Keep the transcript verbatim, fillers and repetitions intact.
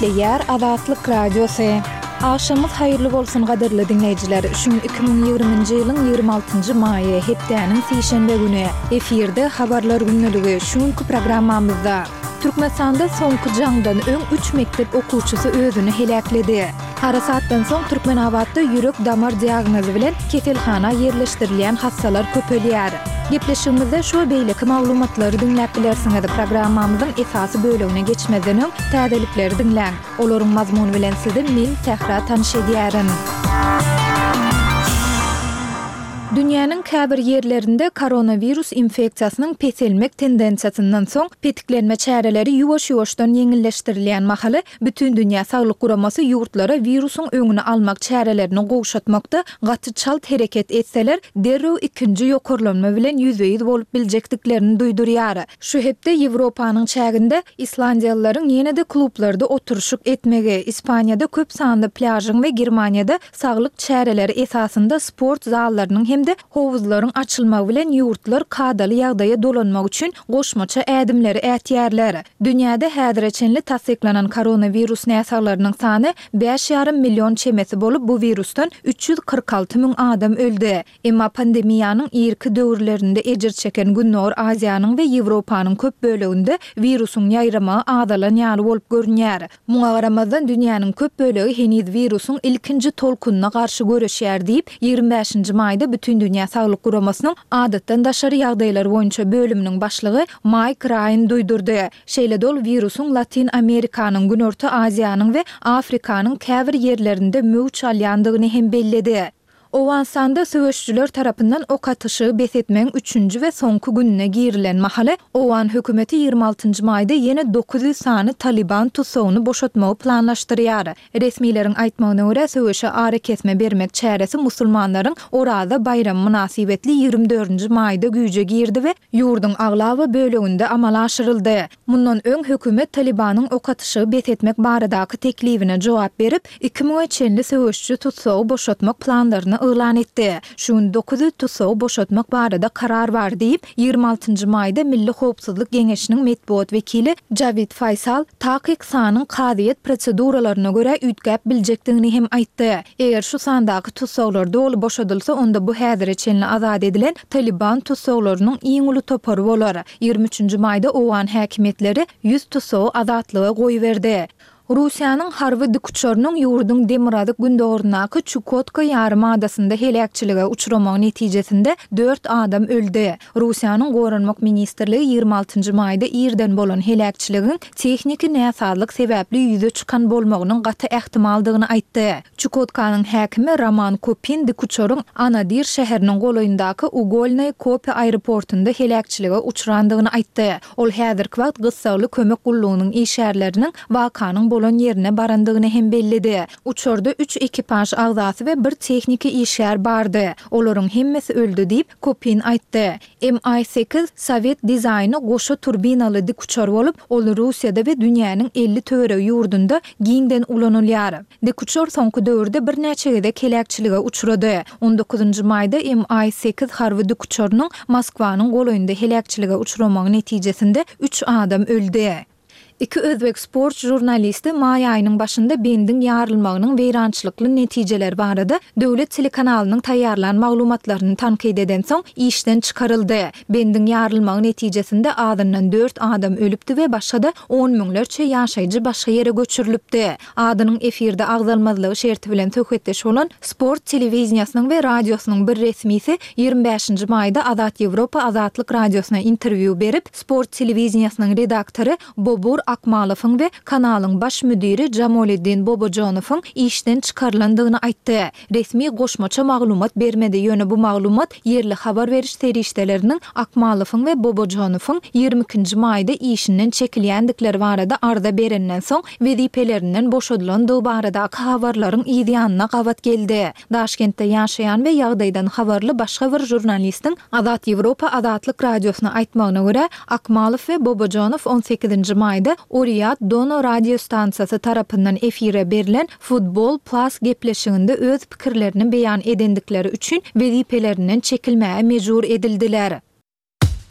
Gepleýär Azatlyk Radiosy. Agşamyňyz haýyrly bolsun gadyrly diňleýjiler. Şu gün iki müň ýigriminji ýylyň ýigrimi altynjy maýy, hepdäniň sişenbe güni. Efirde Habarlar gündeligi, şu günki programmamyzda. Türkmenistanda soňky jaňdan öň üç mekdep okuwçysy özüni heläkledi. Harasatdan soň Türkmenabatda ýürek-damar diagnozy bilen keselhana ýerleşdirilýän hassalar köpelýär. Gepleşigimizde şu we beýleki maglumatlary diňläp bilersiňiz. Programmamyzyň esasy bölegine geçmezden öň, täzelikleri diňläň. Olaryň mazmuny bilen sizi men, Sähra tanyş edýärin. Dünýäniň käbir ýerlerinde koronawirus infeksiýasynyň peselmek tendensiýasyndan soň, petiklenme çäreleri ýuwaş-ýuwaşdan ýeňilleşdirilýän mahaly, Bütindünýä Saglyk Guramasy ýurtlara wirusyň öňüni almak çärelerini gowşatmakda gaty çalt hereket etseler, derrew ikinji ýokarlanma bilen ýüzbe-ýüz bolup biljekdiklerini duýdurýar. Şu hepde Ýewropanyň çäginde islandiýalylaryň ýene-de klublarda oturyşyk etmegi, Ispaniýada köp sanly plýažyň we Germaniýada saglyk çäreleri esasynda sport zallarynyň hem-de howuzlaryň açylmagy bilen ýurtlar kadaly ýagdaýa dolanmak üçin goşmaça ädimleri ätýärler. Dünýäde häzire çenli tassyklanan koronawirus näsaglarynyň sany bäş ýarym million çemesi bolup, bu wirusdan üç ýüz kyrk alty müň adam öldi. Emma pandemiýanyň irki döwürlerinde ejir çeken Gündogar Aziýanyň we Ýewropanyň köp böleginde wirusyň ýaýramagy azalan ýaly bolup görünýär. Muňa garamazdan, dünýäniň köp bölegi heniz wirusyň ilkinji tolkunyna garşy göreşýär diýip, ýigrimi bäşinji maýda Bütindünýä Saglyk Guramasynyň Adatdan daşary ýagdaýlar boýunça bölüminiň başlygy Maýk Raýan duýdurdy. Şeýle-de ol wirusyň Latyn Amerikanyň, Günorta Aziýanyň we Afrikanyň käbir ýerlerinde möwç alýandygyny hem belledi. Owganystanda söweşijiler tarapyndan ok atyşygy bes etmegiň üçünji we soňky gününe girilen mahaly, owgan hökümeti ýigrimi altynjy maýda ýene dokuz ýüz sany Talyban tussagyny boşatmagy planlaşdyrýar. Resmileriň aýtmagyna görä, söweşe arakesme bermek çäresi musulmanlaryň Oraza baýramy mynasybetli ýigrimi dördünji maýda güýje girdi we ýurduň aglaba böleginde amala aşyryldy. Mundan öň hökümet Talybanyň ok atyşygy bes etmek baradaky teklibine jogap berip, iki müňe çenli söweşiji tussagy boşatmak planlaryny yglan etdi. Şu gün dokuz ýüz tussagy boşatmak barada karar bar diýip, ýigrimi altynjy maýda Milli howpsuzlyk geňeşiniň metbugat wekili Jawid Faýsal takyk sanyň kazyýet proseduralaryna görä üýtgäp biljekdigini hem aýtdy. Eger şu sandaky tussaglar doly boşadylsa, onda bu häzire çenli azat edilen Talyban tussaglarynyň iň uly topary bolar. Ýigrimi üçünji maýda owgan häkimiýetleri ýüz tussagy azatlyga goýberdi. Russiýanyň harby dikuçarynyň ýurduň demirgazyk-gündogaryndaky Çukotka ýarym adasynda heläkçilige uçramagy netijesinde dört adam öldi. Russiýanyň Goranmak ministrligi ýigrimi altynjy maýda irden bolan heläkçiligiň tehniki näsazlyk sebäpli ýüze çykan bolmagynyň gaty ähtimaldygyny aýtdy. Çukotkanyň häkimi Roman Kopin dikuçaryň Anadyr şäheriniň golaýyndaky Ugolnoý Kope aeroportynda heläkçilige uçrandygyny aýtdy. Ol häzirki wagt gyssagly kömek gullugynyň işgärleriniň wakanyň bolan ýerine barandygyny hem belledi. Uçarda üç ekipaž agzasy we bir tehniki işgär bardy. Olaryň hemmesi öldi diýip, Kopin aýtdy. MI sekiz sowet dizaýny goşa turbinaly dikuçar bolup, ol Russiýada we dünýäniň elli töweregi ýurdunda giňden ulanylýar. Dikuçar soňky döwürde birnäçe gezek heläkçilige uçrady. On dokuzynjy maýda MI sekiz harby dikuçarynyň Moskwanyň golaýynda heläkçilige uçramagy netijesinde üç adam öldi. Iki özbek sport žurnalisti maý aýynyň başynda bendiň ýarylmagynyň weýrançylykly netijeleri barada döwlet telekanalynyň taýýarlan maglumatlaryny tankyt edensoň, işden çykaryldy. Bendiň ýarylmagy netijesinde azyndan dört adam ölüpdi we başga-da on müňlerçe ýaşaýjy başga ýere göçürilipdi. Adynyň efirde agzalmazlygy şerti bilen söhbetdeş bolan sport telewideniýesiniň we radiosynyň bir resmisi ýigrimi bäşinji maýda Azat Ýewropa Azatlyk Radiosyna interwýu berip, sport telewideniýesiniň redaktory Bobur Akmalowyň we kanalyň baş müdiri Jamoliddin Bobojonowyň işden çykarylandygyny aýtdy. Resmi goşmaça maglumat bermedi, ýöne bu maglumat ýerli habar beriş serişdeleriniň Akmalowyň we Bobojonowyň ýigrimi ikinji maýda işinden çekilýändikleri barada arza berenden soň wezipelerinden boşadylandygy baradaky habarlaryň yz ýanyna gabat geldi. Daşkentde ýaşaýan we ýagdaýdan habarly başga bir žurnalistiň Azat Ýewropa Azatlyk Radiosyna aýtmagyna görä, Akmalow we Bobojonow on sekizinji maýda Uriýat Dono radiostansiýasy tarapyndan efire berlen Futbol Plus gepleşiginde öz pikirlerini beýan edendikleri üçin wezipelerinden çekilmäge mejbur edildiler.